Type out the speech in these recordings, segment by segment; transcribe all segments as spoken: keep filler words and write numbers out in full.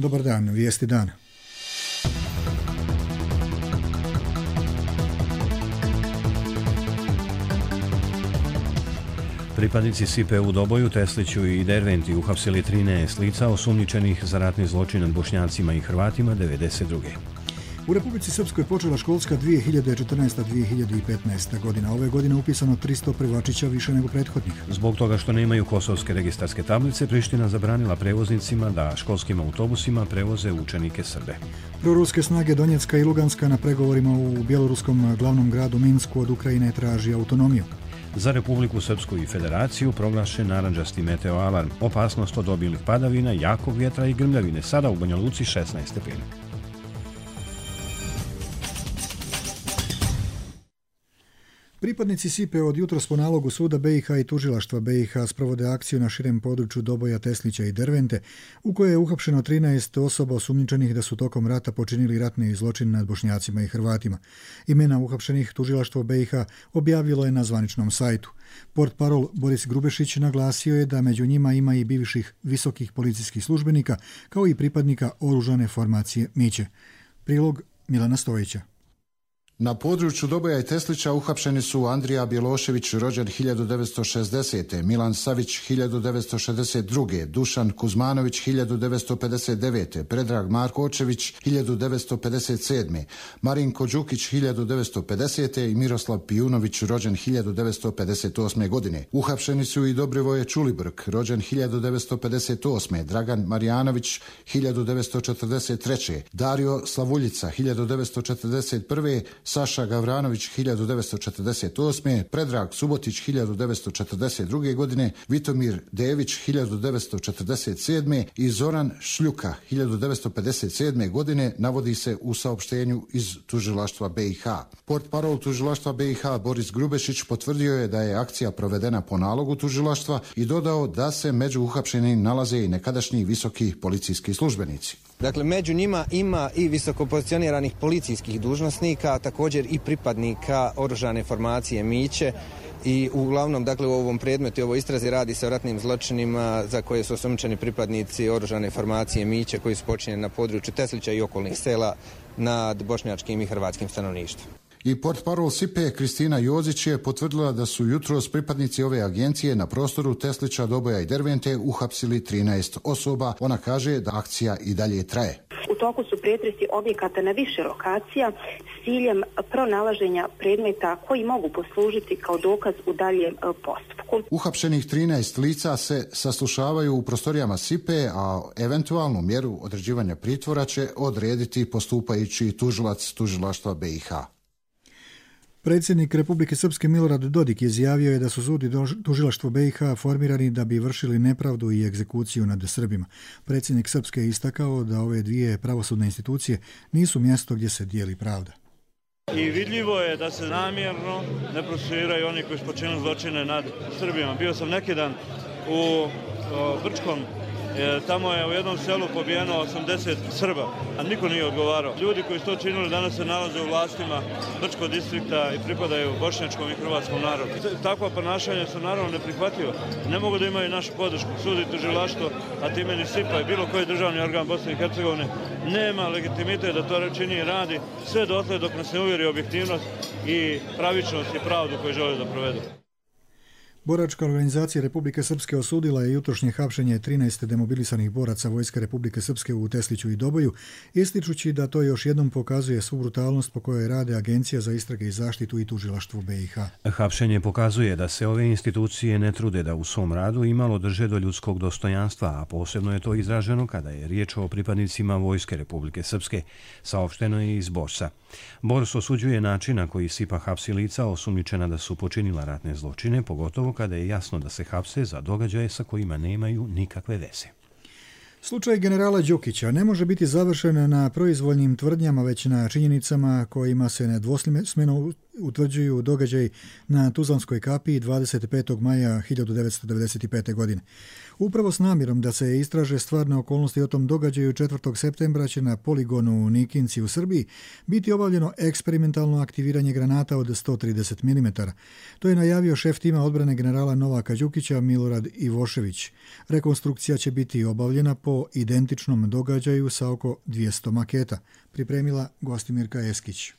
Dobar dan, vijesti dana. Pripadnici S I P E u Doboju, Tesliću i Derventi uhapsili trinaest lica osumnjičenih za ratni zločin nad Bošnjacima i Hrvatima devedeset druge. U Republici Srpskoj počela školska dvije hiljade četrnaesta dvije hiljade petnaesta. godina. Ove godine upisano tristo prvačića više nego prethodnih. Zbog toga što nemaju kosovske registarske tablice, Priština zabranila prevoznicima da školskim autobusima prevoze učenike Srbe. Proruske snage Donjecka i Luganska na pregovorima u bjeloruskom glavnom gradu Minsku od Ukrajine traži autonomiju. Za Republiku Srpsku i Federaciju proglašen narandžasti meteoalarm. Opasnost od obilnih padavina, jakog vjetra i grmljavine. Sada u Banja Luci šesnaest stepeni. Pripadnici S I P E od jutros po nalogu suda B i H i tužilaštva B i H sprovode akciju na širem području Doboja, Teslića i Dervente, u kojoj je uhapšeno trinaest osoba osumnjičenih da su tokom rata počinili ratni zločin nad Bošnjacima i Hrvatima. Imena uhapšenih tužilaštvo B i H objavilo je na zvaničnom sajtu. Portparol Boris Grubešić naglasio je da među njima ima i bivših visokih policijskih službenika, kao i pripadnika oružane formacije Miće. Prilog Milana Stojića. Na području Doboja i Teslića uhapšeni su Andrija Bjelošević, rođen hiljadu devetsto šezdesete. Milan Savić, hiljadu devetsto šezdeset druge. Dušan Kuzmanović, hiljadu devetsto pedeset devete. Predrag Markočević, hiljadu devetsto pedeset sedme. Marinko Đukić, hiljadu devetsto pedesete. i Miroslav Pijunović, rođen hiljadu devetsto pedeset osme. godine. Uhapšeni su i Dobrivoje Čulibrk, rođen hiljadu devetsto pedeset osme. Dragan Marjanović, hiljadu devetsto četrdeset treće. Dario Slavuljica, hiljadu devetsto četrdeset prve. Saša Gavranović, hiljadu devetsto četrdeset osme. Predrag Subotić, hiljadu devetsto četrdeset druge. godine, Vitomir Dević, hiljadu devetsto četrdeset sedme. i Zoran Šljuka, hiljadu devetsto pedeset sedme. godine, navodi se u saopštenju iz tužilaštva B i H. Portparol tužilaštva B i H Boris Grubešić potvrdio je da je akcija provedena po nalogu tužilaštva i dodao da se među uhapšenim nalaze i nekadašnji visoki policijski službenici. Dakle, među njima ima i visokopozicioniranih policijskih dužnosnika, također i pripadnika oružane formacije Miće i uglavnom, dakle, u ovom predmetu i ovoj istrazi radi se o ratnim zločinima za koje su osumnjičeni pripadnici oružane formacije Miće koji su počinjeni na području Teslića i okolnih sela nad bošnjačkim i hrvatskim stanovništvom. I portparol S I P E Kristina Jozić je potvrdila da su jutros pripadnici ove agencije na prostoru Teslića, Doboja i Dervente uhapsili trinaest osoba. Ona kaže da akcija i dalje traje. U toku su pretresi objekata na više lokacija s ciljem pronalaženja predmeta koji mogu poslužiti kao dokaz u daljem postupku. Uhapšenih trinaest lica se saslušavaju u prostorijama S I P E, a eventualnu mjeru određivanja pritvora će odrediti postupajući tužilac tužilaštva B i H. Predsjednik Republike Srpske Milorad Dodik izjavio je da su sud i tužilaštvo B i H formirani da bi vršili nepravdu i egzekuciju nad Srbima. Predsjednik Srpske je istakao da ove dvije pravosudne institucije nisu mjesto gdje se dijeli pravda. I vidljivo je da se namjerno ne procesuiraju oni koji su počinili zločine nad Srbima. Bio sam neki dan u Brčkom. E, tamo je u jednom selu pobijeno osamdeset Srba, a niko nije odgovarao. Ljudi koji su to činili danas se nalaze u vlastima Brčkog distrikta i pripadaju bošnjačkom i hrvatskom narodu. Takva ponašanja su naravno neprihvatljiva. Ne mogu da imaju našu podršku. Sud i tužilaštvo, a time ni S I P A i bilo koji državni organ Bosne i Hercegovine nema legitimitet da to čini i radi sve dotle dok nas ne uvjeri objektivnost i pravičnost i pravdu koju žele da provedu. Boračka organizacija Republike Srpske osudila je jutrošnje hapšenje trinaest demobilisanih boraca Vojske Republike Srpske u Tesliću i Doboju, ističući da to još jednom pokazuje svu brutalnost po kojoj rade Agencija za istrage i zaštitu i tužilaštvo B i H. Hapšenje pokazuje da se ove institucije ne trude da u svom radu imalo drže do ljudskog dostojanstva, a posebno je to izraženo kada je riječ o pripadnicima Vojske Republike Srpske, saopšteno je iz Borsa. Bors osuđuje način na koji S I P A hapsi lica osumnjičena da su počinila ratne zločine, pogotovo kada je jasno da se hapse za događaje sa kojima nemaju nikakve veze. Slučaj generala Đukića ne može biti završen na proizvoljnim tvrdnjama, već na činjenicama kojima se nedvosmisleno utvrđuju događaj na Tuzlanskoj kapiji dvadeset petog maja hiljadu devetsto devedeset pete. godine. Upravo s namjerom da se istraže stvarne okolnosti o tom događaju četvrtog septembra će na poligonu u Nikinci u Srbiji biti obavljeno eksperimentalno aktiviranje granata od sto trideset milimetara. To je najavio šef tima odbrane generala Novaka Đukića Milorad Ivošević. Rekonstrukcija će biti obavljena po identičnom događaju sa oko dvjesto maketa, pripremila Gostimirka Eskić.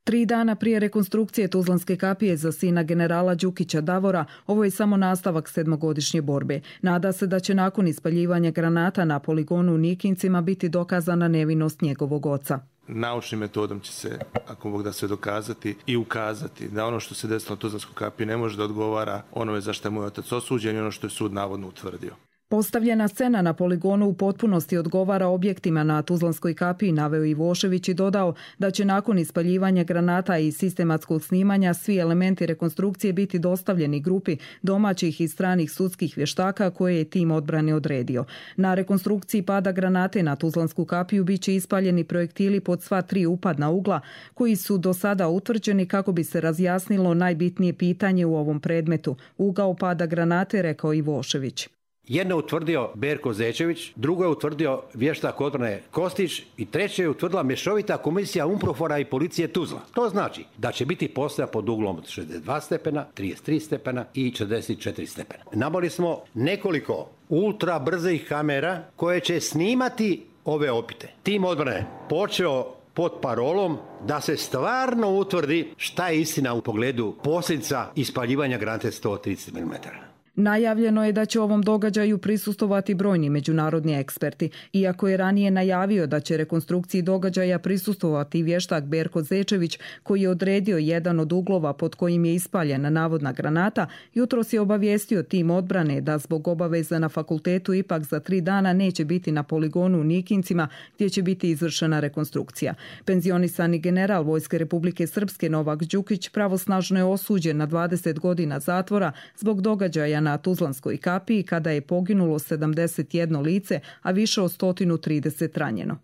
Tri dana prije rekonstrukcije Tuzlanske kapije za sina generala Đukića Davora, ovo je samo nastavak sedmogodišnje borbe. Nada se da će nakon ispaljivanja granata na poligonu u Nikincima biti dokazana nevinost njegovog oca. Naučnim metodom će se, ako Bog da se dokazati i ukazati da ono što se desilo na Tuzlanskoj kapiji ne može da odgovara onome za što je moj otac osuđen i ono što je sud navodno utvrdio. Postavljena scena na poligonu u potpunosti odgovara objektima na Tuzlanskoj kapiji, naveo Ivošević i dodao da će nakon ispaljivanja granata i sistematskog snimanja svi elementi rekonstrukcije biti dostavljeni grupi domaćih i stranih sudskih vještaka koje je tim odbrane odredio. Na rekonstrukciji pada granate na Tuzlansku kapiju bit će ispaljeni projektili pod sva tri upadna ugla koji su do sada utvrđeni kako bi se razjasnilo najbitnije pitanje u ovom predmetu. Ugao pada granate, rekao Ivošević. Jedno je utvrdio Berko Zečević, drugo je utvrdio vještak odbrane Kostić i treće je utvrdila mješovita komisija Umprofora i policije Tuzla. To znači da će biti postavljena pod uglom od šezdeset dva stepena, trideset tri stepena i četrdeset četiri stepena. Nabavili smo nekoliko ultra brzih kamera koje će snimati ove opite. Tim odbrane počeo pod parolom da se stvarno utvrdi šta je istina u pogledu posljedica ispaljivanja granate sto trideset milimetara. Najavljeno je da će ovom događaju prisustovati brojni međunarodni eksperti. Iako je ranije najavio da će rekonstrukciji događaja prisustovati vještak Berko Zečević, koji je odredio jedan od uglova pod kojim je ispaljena navodna granata, jutros je obavijestio tim odbrane da zbog obaveza na fakultetu ipak za tri dana neće biti na poligonu u Nikincima gdje će biti izvršena rekonstrukcija. Penzionisani general Vojske Republike Srpske Novak Đukić pravosnažno je osuđen na dvadeset godina zatvora zbog događaja na Tuzlanskoj kapiji kada je poginulo sedamdeset jedno lice, a više od sto trideset ranjeno.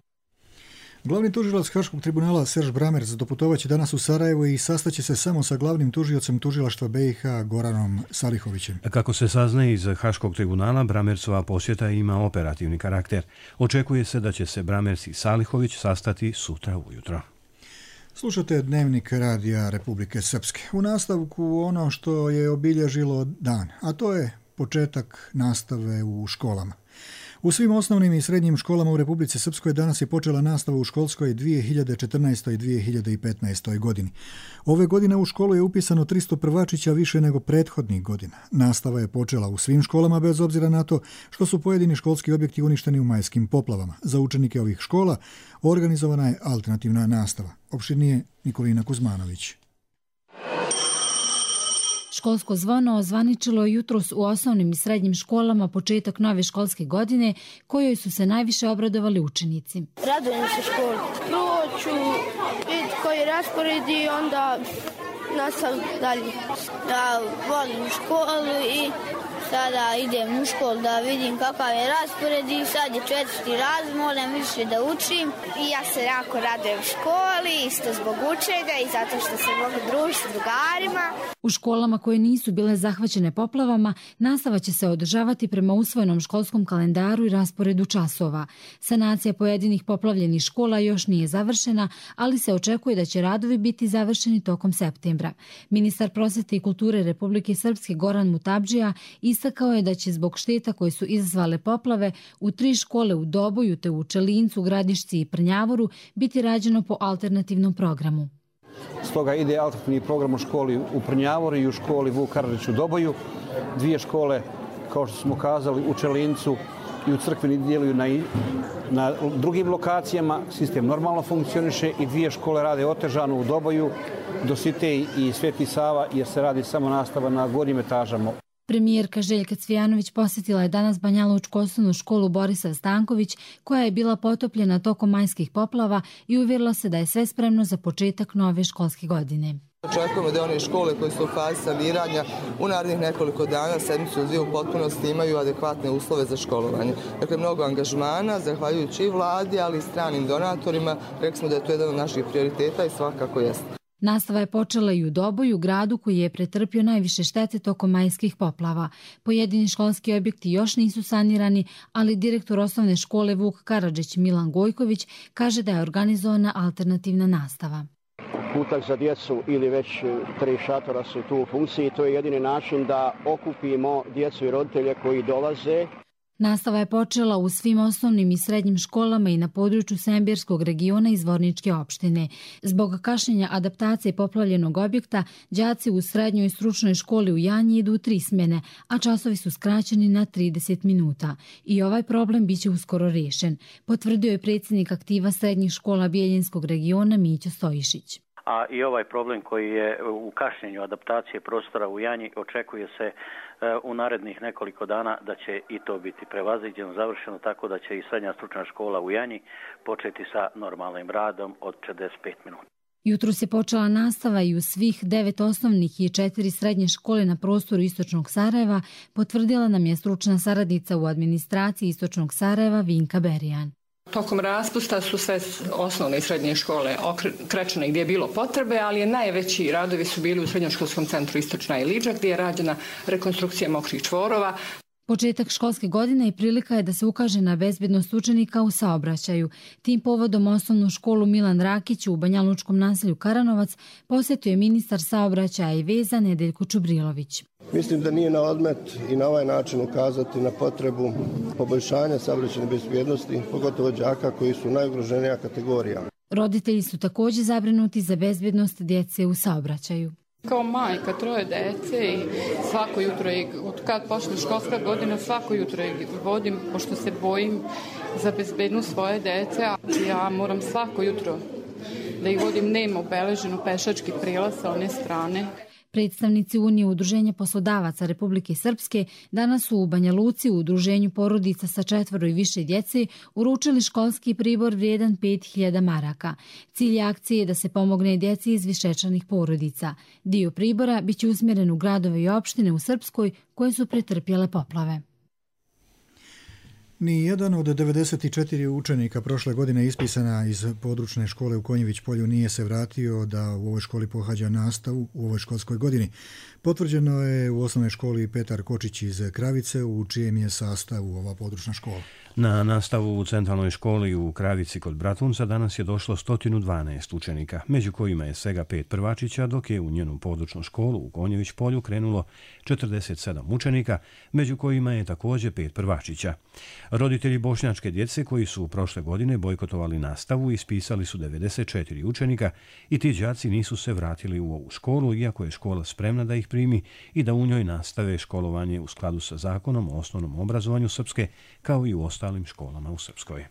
Glavni tužilac Haškog tribunala Serž Bramerc doputovaće danas u Sarajevo i sastaće se samo sa glavnim tužiocem tužilaštva B i H Goranom Salihovićem. Kako se saznaje iz Haškog tribunala, Bramercova posjeta ima operativni karakter. Očekuje se da će se Bramerc i Salihović sastati sutra ujutro. Slušate Dnevnik Radija Republike Srpske. U nastavku ono što je obilježilo dan, a to je početak nastave u školama. U svim osnovnim i srednjim školama u Republici Srpskoj danas je počela nastava u školskoj dvije hiljade četrnaestoj dvije hiljade petnaestoj. godini. Ove godine u školu je upisano tristo prvačića više nego prethodnih godina. Nastava je počela u svim školama bez obzira na to što su pojedini školski objekti uništeni u majskim poplavama. Za učenike ovih škola organizovana je alternativna nastava. Opširnije Nikolina Kuzmanović. Školsko zvono ozvaničilo jutros u osnovnim i srednjim školama početak nove školske godine, kojoj su se najviše obradovali učenici. Radujem se školi. Prvo ću vidjeti koji je raspored i onda nastavim dalje. Ja volim školu i sada idem u školu da vidim kakav je raspored i sad je četvrti razred, moram više da učim. I ja se jako radujem školi, isto zbog učenja i zato što se mogu družiti s drugarima. U školama koje nisu bile zahvaćene poplavama, nastava će se održavati prema usvojenom školskom kalendaru i rasporedu časova. Sanacija pojedinih poplavljenih škola još nije završena, ali se očekuje da će radovi biti završeni tokom septembra. Ministar prosvete i kulture Republike Srpske Goran Mutabdžija istakao je da će zbog šteta koje su izazvale poplave u tri škole u Doboju te u Čelincu, Gradišci i Prnjavoru biti rađeno po alternativnom programu. Stoga ide alternativni program u školi u Prnjavoru i u školi Vuk Karadžić u Doboju. Dvije škole, kao što smo kazali, u Čelincu i u Crkveni djeluju na, na drugim lokacijama. Sistem normalno funkcioniše i dvije škole rade otežano u Doboju, Dositej i Sveti Sava, jer se radi samo nastava na gornjim etažama. Premijerka Željka Cvijanović posjetila je danas Banjalučku osnovnu školu Borisav Stanković, koja je bila potopljena tokom majskih poplava i uvjerila se da je sve spremno za početak nove školske godine. Očekujemo da one škole koje su u fazi saniranja u narednih nekoliko dana, sedmicu dvije u potpunosti imaju adekvatne uslove za školovanje. Dakle, mnogo angažmana, zahvaljujući i vladi, ali i stranim donatorima. Rekli smo da je to jedan od naših prioriteta i svakako jeste. Nastava je počela i u Doboju, gradu koji je pretrpio najviše štete tokom majskih poplava. Pojedini školski objekti još nisu sanirani, ali direktor osnovne škole Vuk Karadžić Milan Gojković kaže da je organizovana alternativna nastava. Kutak za djecu ili već tri šatora su tu u funkciji. To je jedini način da okupimo djecu i roditelje koji dolaze. Nastava je počela u svim osnovnim i srednjim školama i na području Sembirskog regiona i Zvorničke opštine. Zbog kašnjenja adaptacije poplavljenog objekta, đaci u srednjoj stručnoj školi u Janji idu u tri smjene, a časovi su skraćeni na trideset minuta. I ovaj problem biće uskoro rješen, potvrdio je predsjednik aktiva srednjih škola Bijeljinskog regiona Mićo Stojišić. A i ovaj problem koji je u kašnjenju adaptacije prostora u Janji očekuje se u narednih nekoliko dana da će i to biti prevaziđeno, završeno, tako da će i srednja stručna škola u Janji početi sa normalnim radom od četrdeset pet minuta. Jutros je počela nastava i u svih devet osnovnih i četiri srednje škole na prostoru Istočnog Sarajeva, potvrdila nam je stručna saradnica u administraciji Istočnog Sarajeva Vinka Berijan. Tokom raspusta su sve osnovne i srednje škole krečene gdje je bilo potrebe, ali najveći radovi su bili u srednjoškolskom centru Istočna Ilidža gdje je rađena rekonstrukcija mokrih čvorova. Početak školske godine i prilika je da se ukaže na bezbednost učenika u saobraćaju. Tim povodom osnovnu školu Milan Rakić u Banjalučkom naselju Karanovac posjetio je ministar saobraćaja i veza Nedeljko Čubrilović. Mislim da nije na odmet i na ovaj način ukazati na potrebu poboljšanja saobraćajne bezbjednosti, pogotovo đaka koji su najugroženija kategorija. Roditelji su također zabrinuti za bezbjednost djece u saobraćaju. Kao majka troje djece i svako jutro, od kad počne školska godina, svako jutro vodim, pošto se bojim za bezbednost svoje djece. Ja moram svako jutro da ih vodim, nema obeleženo pešački prilaz sa one strane. Predstavnici Unije udruženja poslodavaca Republike Srpske danas su u Banja Luci u udruženju porodica sa četvoro i više djece uručili školski pribor vrijedan pet hiljada maraka. Cilj akcije je da se pomogne djeci iz višečlanih porodica. Dio pribora biće usmjeren u gradove i opštine u Srpskoj koje su pretrpjele poplave. Ni jedan od devedeset četiri učenika prošle godine ispisana iz područne škole u Konjević polju nije se vratio da u ovoj školi pohađa nastavu u ovoj školskoj godini. Potvrđeno je u osnovnoj školi Petar Kočić iz Kravice, u čijem je sastavu ova područna škola. Na nastavu u centralnoj školi u Kravici kod Bratunca danas je došlo sto dvanaest učenika, među kojima je svega pet prvačića, dok je u njenu područnu školu u Konjević polju krenulo četrdeset sedam učenika, među kojima je također pet prvačića. Roditelji bošnjačke djece koji su prošle godine bojkotovali nastavu ispisali su devedeset četiri učenika i ti đaci nisu se vratili u ovu školu, iako je škola spremna da ih primi i da u njoj nastave školovanje u skladu sa zakonom o osnovnom obrazovanju Srpske, kao i u ostalim školama u Srpskoj.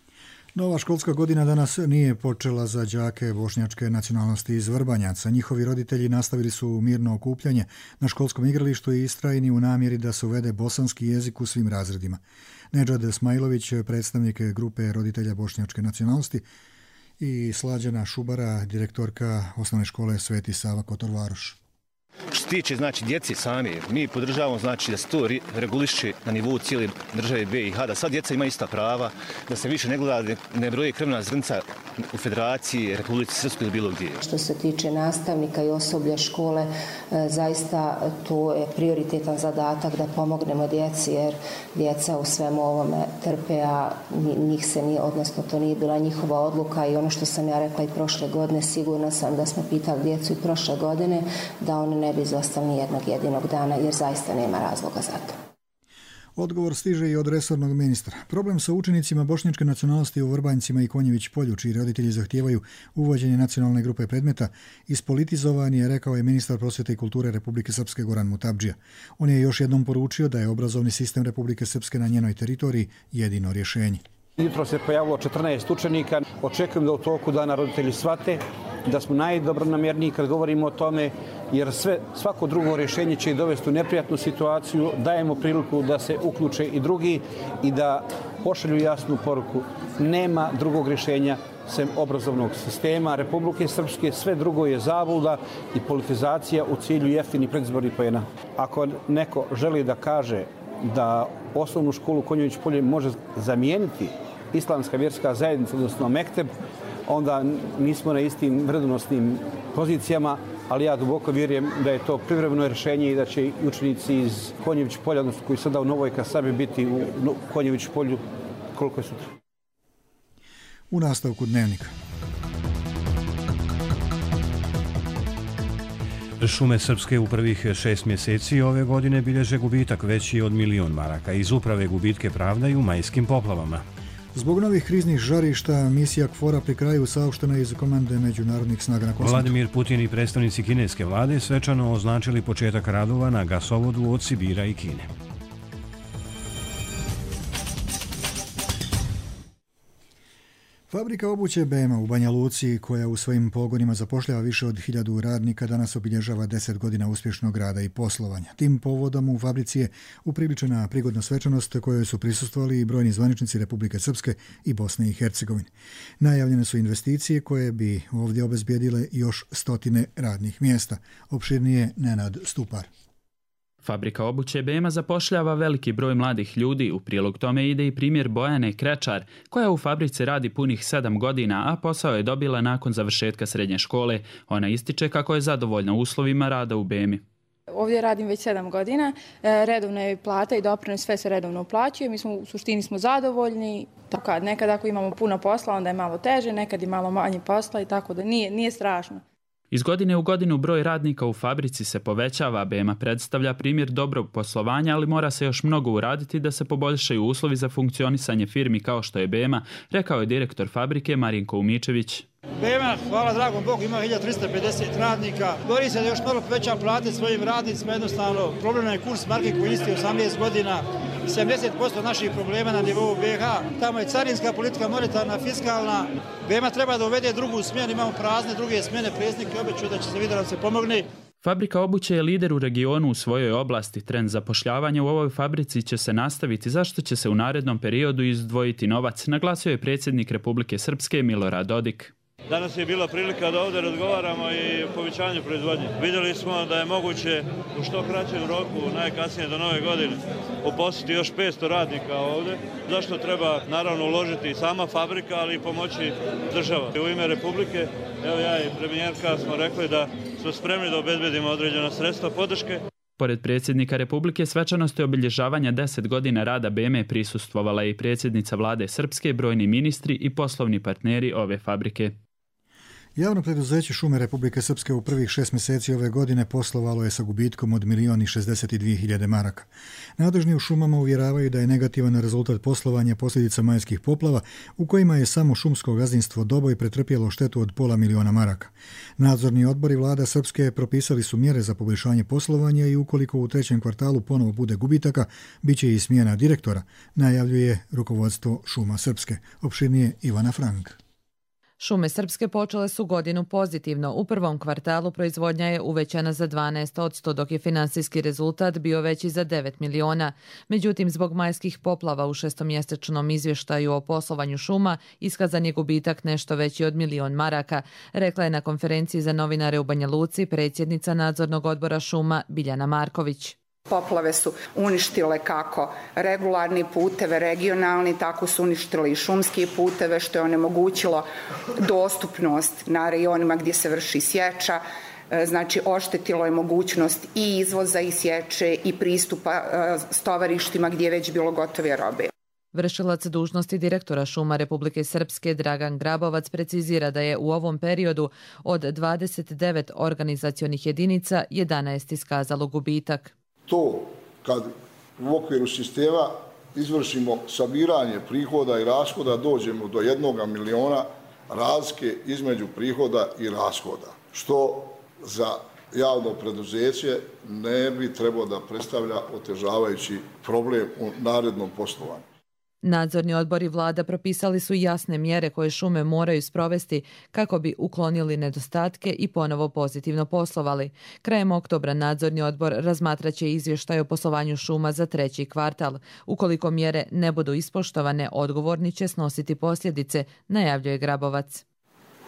Nova školska godina danas nije počela za đake bošnjačke nacionalnosti iz Vrbanjaca. Njihovi roditelji nastavili su mirno okupljanje na školskom igralištu i istrajni u namjeri da se uvede bosanski jezik u svim razredima. Nedžad Smajlović, predstavnik grupe roditelja bošnjačke nacionalnosti, i Slađana Šubara, direktorka osnovne škole Sveti Sava Kotorvaroš. Što se tiče znači djece sami, mi podržavamo znači da se to reguliše na nivou cijele države B i H, da sad djeca imaju ista prava, da se više ne gleda, ne broje krvna zrnca u Federaciji, Republici Srpskoj ili bilo gdje. Što se tiče nastavnika i osoblja škole, zaista to je prioritetan zadatak da pomognemo djeci, jer djeca u svemu ovome trpe, a njih se nije, odnosno to nije bila njihova odluka, i ono što sam ja rekla i prošle godine, sigurna sam da smo pitali djecu i prošle godine da oni ne bi izostali ni jednog jedinog dana, jer zaista nema razloga za to. Odgovor stiže i od resornog ministra. Problem sa učenicima bošnjačke nacionalnosti u Vrbanjcima i Konjević polju, čiji roditelji zahtijevaju uvođenje nacionalne grupe predmeta, ispolitizovan je, rekao je ministar prosvjete i kulture Republike Srpske Goran Mutabdžija. On je još jednom poručio da je obrazovni sistem Republike Srpske na njenoj teritoriji jedino rješenje. Jutro se pojavilo četrnaest učenika. Očekujem da u toku dana roditelji shvate da smo najdobronamjerniji kad govorimo o tome, jer sve, svako drugo rješenje će ih dovesti u neprijatnu situaciju. Dajemo priliku da se uključe i drugi i da pošalju jasnu poruku. Nema drugog rješenja sem obrazovnog sistema Republike Srpske. Sve drugo je zabluda i politizacija u cilju jeftinih predizbornih poena. Ako neko želi da kaže da osnovnu školu Konjević polje može zamijeniti islamska vjerska zajednica, odnosno mekteb, onda nismo na istim vrednosnim pozicijama, ali ja duboko vjerujem da je to privremeno rješenje i da će i učenici iz Konjević polja, odnosno koji sada u Novoj Kasabi, biti u Konjević polju koliko je sutra. U nastavku Dnevnika. Šume Srpske u prvih šest mjeseci ove godine bilježe gubitak veći od milion maraka. Iz uprave gubitke pravdaju majskim poplavama. Zbog novih kriznih žarišta, misija KFOR-a pri kraju saopštena iz komande međunarodnih snaga na Kosmetu. Vladimir Putin i predstavnici kineske vlade svečano označili početak radova na gasovodu od Sibira i Kine. Fabrika obuće B E M A u Banja Luci, koja u svojim pogonima zapošljava više od hiljadu radnika, danas obilježava deset godina uspješnog rada i poslovanja. Tim povodom u fabrici je upriličena prigodna svečanost kojoj su prisustvovali i brojni zvaničnici Republike Srpske i Bosne i Hercegovine. Najavljene su investicije koje bi ovdje obezbijedile još stotine radnih mjesta. Opširnije Nenad Stupar. Fabrika obuće B E M A zapošljava veliki broj mladih ljudi. U prilog tome ide i primjer Bojane Krečar, koja u fabrici radi punih sedam godina, a posao je dobila nakon završetka srednje škole. Ona ističe kako je zadovoljna uslovima rada u B E M I. Ovdje radim već sedam godina, redovna je plata i doprinos, sve se redovno uplaćuje, mi smo u suštini smo zadovoljni. Kad nekad ako imamo puno posla, onda je malo teže, nekad i malo manje posla i tako da nije, nije strašno. Iz godine u godinu broj radnika u fabrici se povećava. B E M A predstavlja primjer dobrog poslovanja, ali mora se još mnogo uraditi da se poboljšaju uslovi za funkcionisanje firmi kao što je B E M A, rekao je direktor fabrike Marinko Umičević. B E M A, hvala dragom Bogu, ima hiljadu trista pedeset radnika. Bori se da još malo poveća plate svojim radnicima, jednostavno problem je kurs marke koji isti osamnaest godina. sedamdeset posto naših problema na nivou B iH. Tamo je carinska politika, monetarna, fiskalna. B E M A treba da uvede drugu smjenu, imamo prazne druge smjene, predsjednik obećao da će se vidjeti da se pomogne. Fabrika obuće je lider u regionu u svojoj oblasti. Trend zapošljavanja u ovoj fabrici će se nastaviti, zašto će se u narednom periodu izdvojiti novac, naglasio je predsjednik Republike Srpske Milorad Dodik. Danas je bila prilika da ovdje razgovaramo i o povećanju proizvodnje. Vidjeli smo da je moguće u što kraćem roku, najkasnije do nove godine, uposliti još petsto radnika ovdje. Zašto treba naravno uložiti i sama fabrika, ali i pomoći država. U ime Republike, evo ja i premijerka smo rekli da smo spremni da obezbedimo određena sredstva podrške. Pored predsjednika Republike, svečanosti obilježavanja deset godina rada B E M A prisustvovala je i predsjednica vlade Srpske, brojni ministri i poslovni partneri ove fabrike. Javno preduzeće Šume Republike Srpske u prvih šest mjeseci ove godine poslovalo je sa gubitkom od milion i šezdeset dvije hiljade maraka. Nadležni u šumama uvjeravaju da je negativan rezultat poslovanja posljedica majskih poplava, u kojima je samo šumsko gazdinstvo Doboj pretrpjelo štetu od pola miliona maraka. Nadzorni odbori vlada Srpske propisali su mjere za poboljšanje poslovanja i ukoliko u trećem kvartalu ponovo bude gubitaka, bit će i smjena direktora, najavljuje rukovodstvo Šuma Srpske. Opširnije Ivana Frank. Šume Srpske počele su godinu pozitivno. U prvom kvartalu proizvodnja je uvećana za dvanaest posto, dok je finansijski rezultat bio veći za devet miliona. Međutim, zbog majskih poplava u šestomjesečnom izvještaju o poslovanju šuma iskazan je gubitak nešto veći od milion maraka, rekla je na konferenciji za novinare u Banja Luci predsjednica nadzornog odbora šuma Biljana Marković. Poplave su uništile kako regularni puteve, regionalni, tako su uništile i šumski puteve, što je onemogućilo dostupnost na rajonima gdje se vrši sječa. Znači, oštetilo je mogućnost i izvoza i sječe i pristupa stovarištima gdje je već bilo gotove robe. Vršilac dužnosti direktora Šuma Republike Srpske Dragan Grabovac precizira da je u ovom periodu od dvadeset devet organizacionih jedinica jedanaest iskazalo gubitak. To kad u okviru sistema izvršimo sabiranje prihoda i rashoda, dođemo do jednoga miliona razlike između prihoda i rashoda, što za javno preduzeće ne bi trebalo da predstavlja otežavajući problem u narednom poslovanju. Nadzorni odbor i vlada propisali su jasne mjere koje šume moraju sprovesti kako bi uklonili nedostatke i ponovo pozitivno poslovali. Krajem oktobra nadzorni odbor razmatraće izvještaj o poslovanju šuma za treći kvartal. Ukoliko mjere ne budu ispoštovane, odgovorni će snositi posljedice, najavljuje Grabovac.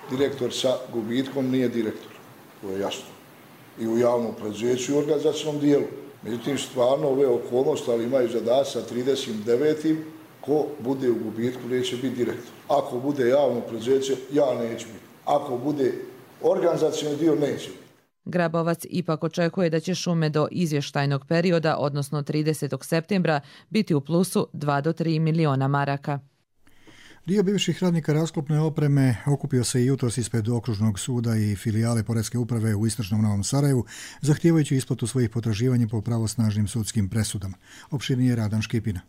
Direktor sa gubitkom nije direktor, to je jasno. I u javnom preduzeću i organizacijnom dijelu. Međutim, stvarno ove okolnosti, ali imaju zadatak sa trideset devetim Ko bude u gubitku neće biti direktor. Ako bude javno preduzeće, ja neću biti. Ako bude organizacioni dio, neće biti. Grabovac ipak očekuje da će šume do izvještajnog perioda, odnosno tridesetog septembra, biti u plusu dva do tri miliona maraka. Dio bivših radnika rasklopne opreme okupio se i jutros ispred okružnog suda i filijale Poreske uprave u istočnom Novom Sarajevu, zahtijevajući isplatu svojih potraživanja po pravosnažnim sudskim presudama. Opširnije Radan Škipina.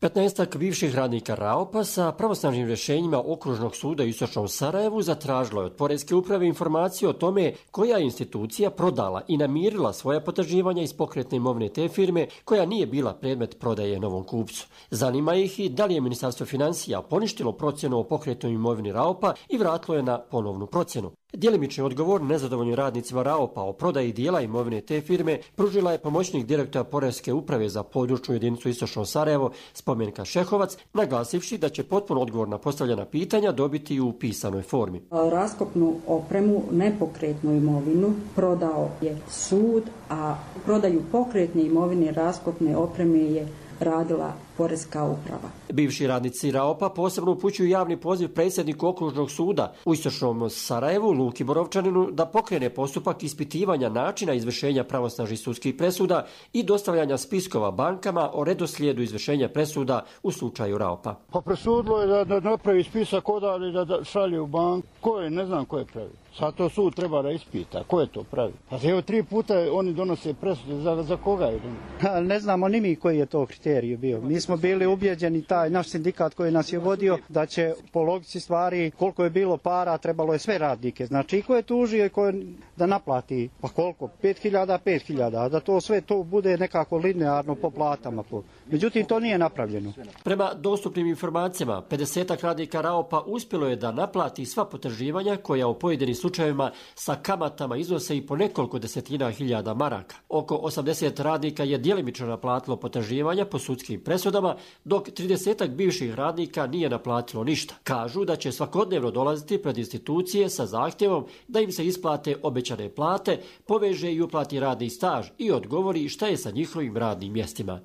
petnaestak bivših radnika Raopa sa pravosnažnim rješenjima Okružnog suda u istočnom Sarajevu zatražilo je od Poreske uprave informaciju o tome koja je institucija prodala i namirila svoja potraživanja iz pokretne imovine te firme koja nije bila predmet prodaje novom kupcu. Zanima ih i da li je Ministarstvo financija poništilo procjenu o pokretnoj imovini Raopa i vratilo je na ponovnu procjenu. Djelimični odgovor nezadovoljnim radnicima Raopa o prodaji dijela imovine te firme pružila je pomoćnik direktora Poreske uprave za područnu jedinicu Istočno Sarajevo Spomenka Šehovac, naglasivši da će potpuno odgovor na postavljena pitanja dobiti u pisanoj formi. Raskopnu opremu, nepokretnu imovinu prodao je sud, a prodaju pokretne imovine raskopne opreme je radila Poreska uprava. Bivši radnici Raopa posebno upućuju javni poziv predsjedniku Okružnog suda u istočnom Sarajevu Luki Borovčaninu da pokrene postupak ispitivanja načina izvršenja pravosnažnih sudskih presuda i dostavljanja spiskova bankama o redoslijedu izvršenja presuda u slučaju Raopa. Pa presudilo je da, da napravi spisak odali da, da šalje u banku. Ko je? Ne znam ko je pravi. Sad to sud treba da ispita. Ko je to pravi? Pa evo tri puta oni donose presude. Za, za koga je donose? Ne znamo ni mi koji je to kriterij bio. Mi smo bili ubjeđeni, taj naš sindikat koji nas je vodio, da će po logici stvari koliko je bilo para, trebalo je sve radnike. Znači i ko je tužio i ko je da naplati, pa koliko? pet hiljada, pet hiljada, a da to sve to bude nekako linearno po platama. Po. Međutim, to nije napravljeno. Prema dostupnim informacijama, pedesetak radnika Raopa uspjelo je da naplati sva potraživanja koja u pojedinim slučajevima sa kamatama iznose i po nekoliko desetina hiljada maraka. Oko osamdeset radnika je djelimično naplatilo potraživanja po sudskim presudama, dok tridesetak bivših radnika nije naplatilo ništa. Kažu da će svakodnevno dolaziti pred institucije sa zahtjevom da im se isplate obećane plate, poveže i uplati radni staž i odgovori šta je sa njihovim radnim mjestima.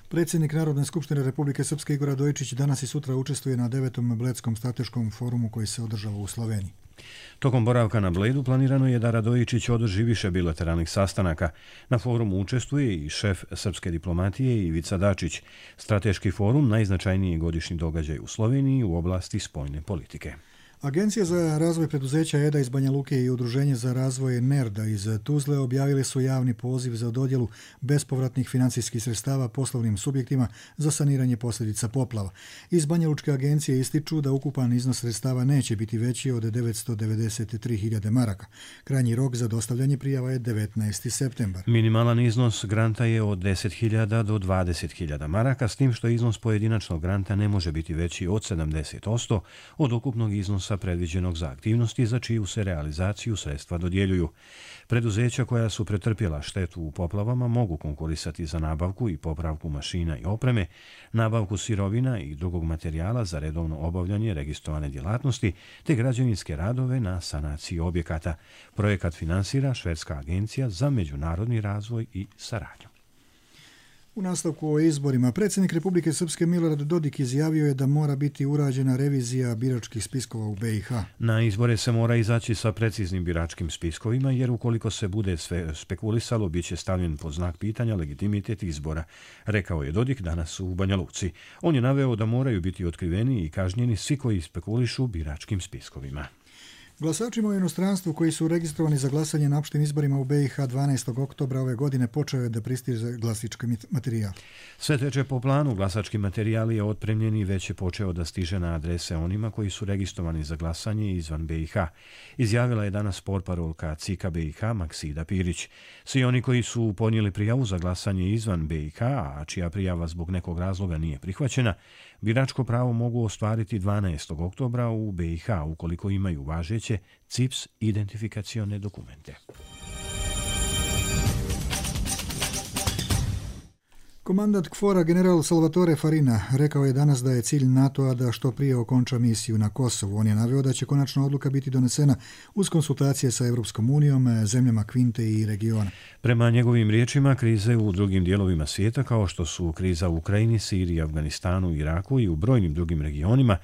Predsjednik Narodne skupštine Republike Srpske Igor Radojičić danas i sutra učestvuje na devetom Bledskom strateškom forumu koji se održava u Sloveniji. Tokom boravka na Bledu planirano je da Radojičić održi više bilateralnih sastanaka. Na forumu učestvuje i šef srpske diplomatije Ivica Dačić. Strateški forum najznačajniji godišnji događaj u Sloveniji u oblasti spoljne politike. Agencija za razvoj preduzeća E D A iz Banja Luke i Udruženje za razvoj NERDA iz Tuzle objavili su javni poziv za dodjelu bespovratnih financijskih sredstava poslovnim subjektima za saniranje posljedica poplava. Iz Banja Lučke agencije ističu da ukupan iznos sredstava neće biti veći od devetsto devedeset tri hiljade maraka. Krajnji rok za dostavljanje prijava je devetnaesti septembar. Minimalan iznos granta je od deset hiljada do dvadeset hiljada maraka, s tim što iznos pojedinačnog granta ne može biti veći od sedamdeset posto od ukupnog iznosa predviđenog za aktivnosti za čiju se realizaciju sredstva dodjeljuju. Preduzeća koja su pretrpjela štetu u poplavama mogu konkurisati za nabavku i popravku mašina i opreme, nabavku sirovina i drugog materijala za redovno obavljanje registrovane djelatnosti te građevinske radove na sanaciji objekata. Projekat finansira Švedska agencija za međunarodni razvoj i saradnju. U nastavku o izborima, predsjednik Republike Srpske Milorad Dodik izjavio je da mora biti urađena revizija biračkih spiskova u B i H. Na izbore se mora izaći sa preciznim biračkim spiskovima, jer ukoliko se bude sve spekulisalo, bit će stavljen pod znak pitanja legitimitet izbora, rekao je Dodik danas u Banja Luci. On je naveo da moraju biti otkriveni i kažnjeni svi koji spekulišu biračkim spiskovima. Glasačima u inostranstvu koji su registrovani za glasanje na opštim izborima u B i H dvanaestog oktobra ove godine počeo je da pristiže glasački materijal. Sve teče po planu, glasački materijal je otpremljen i već je počeo da stiže na adrese onima koji su registrovani za glasanje izvan B i H. Izjavila je danas portparolka C I K-a B i H Maksida Pirić. Svi oni koji su podnijeli prijavu za glasanje izvan B i H, a čija prijava zbog nekog razloga nije prihvaćena, biračko pravo mogu ostvariti dvanaestog oktobra u B i H ukoliko imaju važeće C I P S identifikacione dokumente. Komandant KFOR-a general Salvatore Farina rekao je danas da je cilj NATO-a da što prije okonča misiju na Kosovu. On je naveo da će konačna odluka biti donesena uz konsultacije sa Europskom unijom, zemljama Kvinte i regiona. Prema njegovim riječima, krize u drugim dijelovima svijeta, kao što su kriza u Ukrajini, Siriji, Afganistanu, Iraku i u brojnim drugim regionima,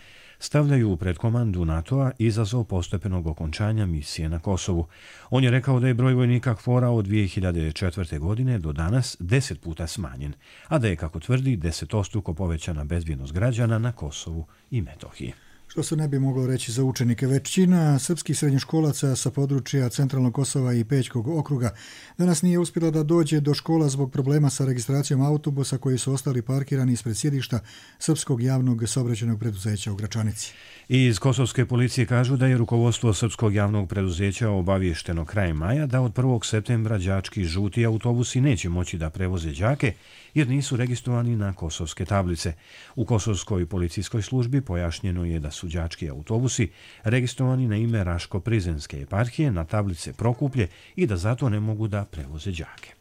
stavljaju pred komandu NATO-a izazov postepenog okončanja misije na Kosovu. On je rekao da je broj vojnika KFOR-a od dvije hiljade četvrte. godine do danas deset puta smanjen, a da je, kako tvrdi, desetostruko povećana bezbjednost građana na Kosovu i Metohiji. Što se ne bi moglo reći za učenike. Većina srpskih srednjoškolaca sa područja Centralnog Kosova i Pećkog okruga danas nije uspjela da dođe do škola zbog problema sa registracijom autobusa koji su ostali parkirani ispred sjedišta Srpskog javnog saobraćajnog preduzeća u Gračanici. I iz kosovske policije kažu da je rukovodstvo Srpskog javnog preduzeća obavješteno krajem maja da od prvog septembra đački žuti autobusi neće moći da prevoze đake jer nisu registrovani na kosovske tablice. U kosovskoj policijskoj službi pojašnjeno je da su đački autobusi registrovani na ime Raško-Prizenske eparhije na tablice Prokuplje i da zato ne mogu da prevoze đake.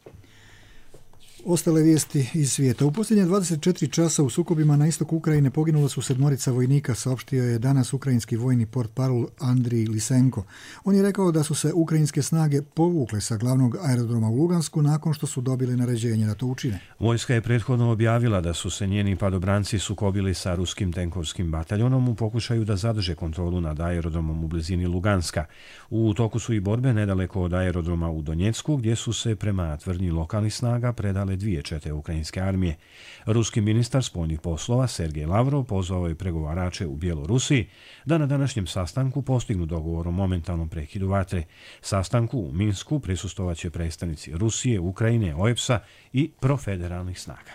Ostale vijesti iz svijeta. U posljednje dvadeset četiri časa u sukobima na istoku Ukrajine poginula su sedmorica vojnika, saopštio je danas ukrajinski vojni portparol Andrij Lisenko. On je rekao da su se ukrajinske snage povukle sa glavnog aerodroma u Lugansku nakon što su dobili naređenje da to učine. Vojska je prethodno objavila da su se njeni padobranci sukobili sa ruskim tenkovskim bataljonom u pokušaju da zadrže kontrolu nad aerodromom u blizini Luganska. U toku su i borbe nedaleko od aerodroma u Donjecku, gdje su se prema tvrdnji lokalnih snaga predale dvije čete ukrajinske armije. Ruski ministar spoljnih poslova Sergej Lavrov pozvao je pregovarače u Bjelorusiji da na današnjem sastanku postignu dogovor o momentalnom prekidu vatre. Sastanku u Minsku prisustvovaće predstavnici Rusije, Ukrajine, O E P S-a i profederalnih snaga.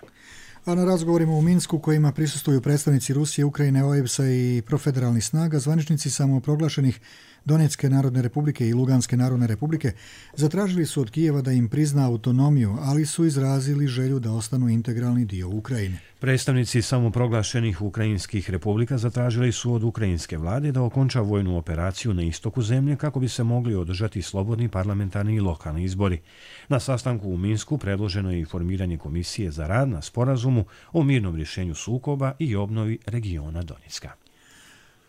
A na razgovorima u Minsku, kojima prisustvuju predstavnici Rusije, Ukrajine, O E P S-a i profederalnih snaga, zvaničnici samoproglašenih Donetske narodne republike i Luganske narodne republike zatražili su od Kijeva da im prizna autonomiju, ali su izrazili želju da ostanu integralni dio Ukrajine. Predstavnici samoproglašenih ukrajinskih republika zatražili su od ukrajinske vlade da okonča vojnu operaciju na istoku zemlje kako bi se mogli održati slobodni parlamentarni i lokalni izbori. Na sastanku u Minsku predloženo je i formiranje komisije za rad na sporazumu o mirnom rješenju sukoba i obnovi regiona Donjecka.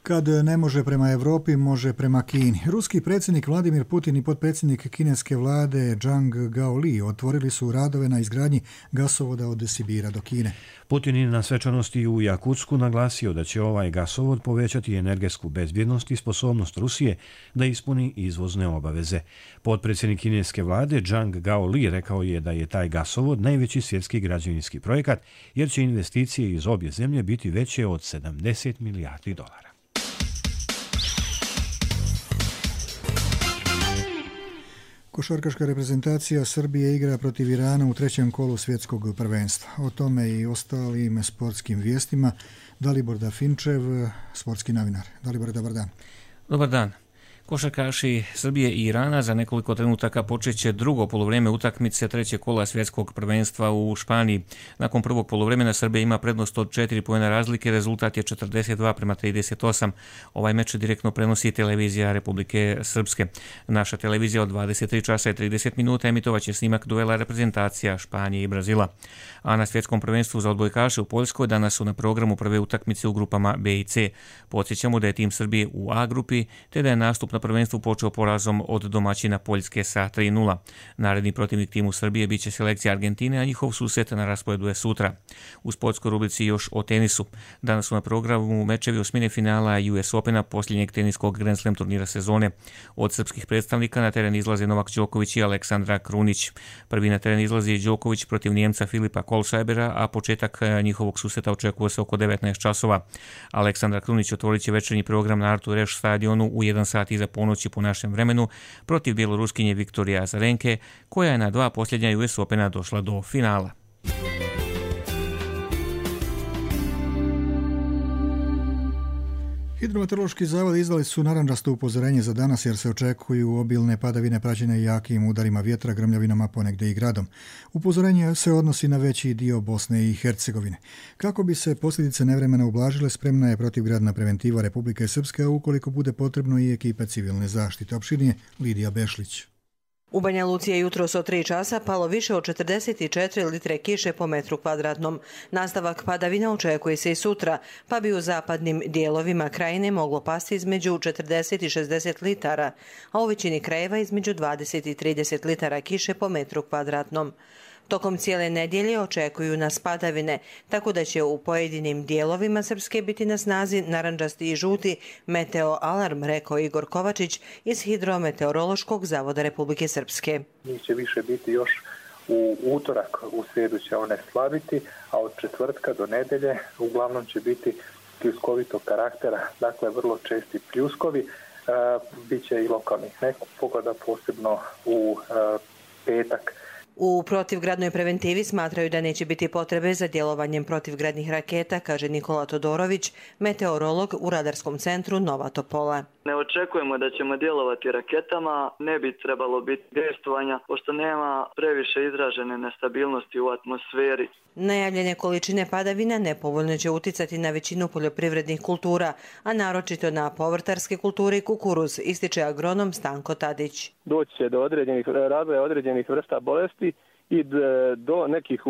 Kad ne može prema Evropi, može prema Kini. Ruski predsjednik Vladimir Putin i potpredsjednik kineske vlade Zhang Gaoli otvorili su radove na izgradnji gasovoda od Sibira do Kine. Putin je na svečanosti u Jakutsku naglasio da će ovaj gasovod povećati energetsku bezbjednost i sposobnost Rusije da ispuni izvozne obaveze. Potpredsjednik kineske vlade Zhang Gaoli rekao je da je taj gasovod najveći svjetski građevinski projekat jer će investicije iz obje zemlje biti veće od sedamdeset milijardi dolara. Košarkaška reprezentacija Srbije igra protiv Irana u trećem kolu svjetskog prvenstva. O tome i ostalim sportskim vijestima Dalibor Dafinčev, sportski novinar. Dalibor, dobar dan. Dobar dan. Košarkaši Srbije i Irana za nekoliko trenutaka počeće drugo poluvreme utakmice trećeg kola svjetskog prvenstva u Španiji. Nakon prvog poluvremena Srbija ima prednost od četiri poena razlike, rezultat je četrdeset dva prema trideset osam. Ovaj meč direktno prenosi televizija Republike Srpske. Naša televizija od dvadeset tri časa i trideset minuta emitovaće snimak duela reprezentacija Španije i Brazila. A na svjetskom prvenstvu za odbojkaše u Poljskoj danas su na programu prve utakmice u grupama B i C. Podsjećamo da je tim Srbije u A grupi, te da je nastup na prvenstvu počeo porazom od domaćina Poljske sa tri nula. Naredni protivnik timu Srbije biće selekcija Argentine, a njihov susret na rasporedu je sutra. U sportskoj rubrici još o tenisu. Danas su na programu mečevi osmine finala U S Opena, posljednjeg teniskog Grand Slam turnira sezone. Od srpskih predstavnika na teren izlaze Novak Đoković i Aleksandra Krunić. Prvi na teren izlazi Đoković protiv Njemca Filipa Kohlscheibera, a početak njihovog susreta očekuje se oko devetnaest časova. Aleksandra Krunić otvorit će večernji program na Artur Ashe stadionu u jedan sat iza ponoći po našem vremenu protiv bjeloruskinje Viktorije Azarenke, koja je na dva posljednja U S Opena došla do finala. Hidrometeorološki zavod izdali su narandžasto upozorenje za danas jer se očekuju obilne padavine praćene jakim udarima vjetra, grmljavinama, ponegdje i gradom. Upozorenje se odnosi na veći dio Bosne i Hercegovine. Kako bi se posljedice nevremena ublažile, spremna je protivgradna preventiva Republike Srpske, a ukoliko bude potrebno i ekipe civilne zaštite. Opširnije Lidija Bešlić. U Banja Luci je jutros od tri časa palo više od četrdeset četiri litre kiše po metru kvadratnom. Nastavak padavina očekuje se i sutra, pa bi u zapadnim dijelovima krajine moglo pasti između četrdeset i šezdeset litara, a u većini krajeva između dvadeset i trideset litara kiše po metru kvadratnom. Tokom cijele nedjelje očekuju nas padavine, tako da će u pojedinim dijelovima Srpske biti na snazi narandžasti i žuti meteo alarm, rekao Igor Kovačić iz Hidrometeorološkog zavoda Republike Srpske. Njih će više biti još u utorak, u srijedu će one slabiti, a od četvrtka do nedelje uglavnom će biti pljuskovitog karaktera, dakle vrlo česti pljuskovi, e, bit će i lokalnih nepogoda, posebno u e, petak. U protivgradnoj preventivi smatraju da neće biti potrebe za djelovanjem protivgradnih raketa, kaže Nikola Todorović, meteorolog u radarskom centru Nova Topola. Ne očekujemo da ćemo djelovati raketama, ne bi trebalo biti dejstvovanja, pošto nema previše izražene nestabilnosti u atmosferi. Najavljene količine padavina nepovoljno će uticati na većinu poljoprivrednih kultura, a naročito na povrtarske kulture i kukuruz, ističe agronom Stanko Tadić. Doći će do određenih razvoja određenih vrsta bolesti i do nekih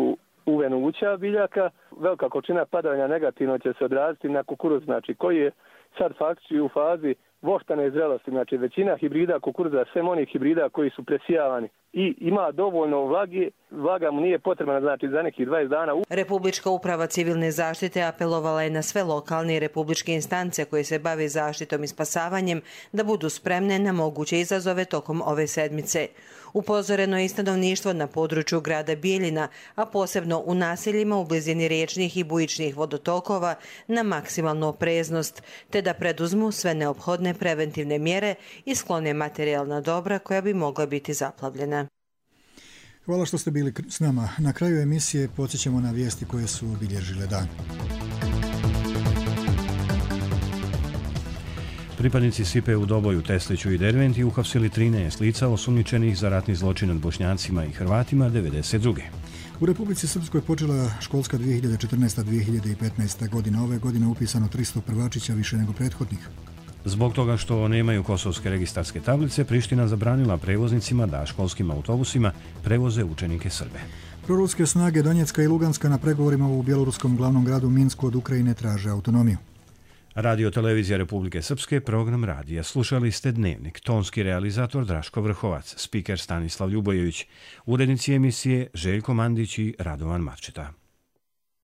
uvenuća biljaka. Velika količina padavanja negativno će se odraziti na kukuruz, znači koji je sad faktički u fazi voštane zrelosti, znači većina hibrida kukuruza, sve onih hibrida koji su presijavani i ima dovoljno vlage, vlaga mu nije potrebna, znači za nekih dvadeset dana. Republička uprava civilne zaštite apelovala je na sve lokalne i republičke instance koje se bave zaštitom i spasavanjem da budu spremne na moguće izazove tokom ove sedmice. Upozoreno je i stanovništvo na području grada Bijeljina, a posebno u naseljima u blizini riječnih i bujičnih vodotokova na maksimalnu opreznost, te da preduzmu sve neophodne preventivne mjere i sklone materijalna dobra koja bi mogla biti zaplavljena. Hvala što ste bili s nama. Na kraju emisije podsjećamo na vijesti koje su obilježile dan. Pripadnici Sipe u Doboju, Tesliću i Derventi uhapsili trinaest lica osumnjičenih za ratni zločin nad Bošnjacima i Hrvatima devedeset druge. U Republici Srpskoj počela školska dvije hiljade četrnaesta dvije hiljade petnaesta godina. Ove godine upisano tristo prvačića, više nego prethodnih. Zbog toga što nemaju kosovske registarske tablice, Priština zabranila prevoznicima da školskim autobusima prevoze učenike Srbe. Proruske snage Donjecka i Luganska na pregovorima u bjeloruskom glavnom gradu Minsku od Ukrajine traže autonomiju. Radio Televizija Republike Srpske, program radija. Slušali ste Dnevnik, tonski realizator Draško Vrhovac, spiker Stanislav Ljubojević, urednici emisije Željko Mandić i Radovan Marčeta.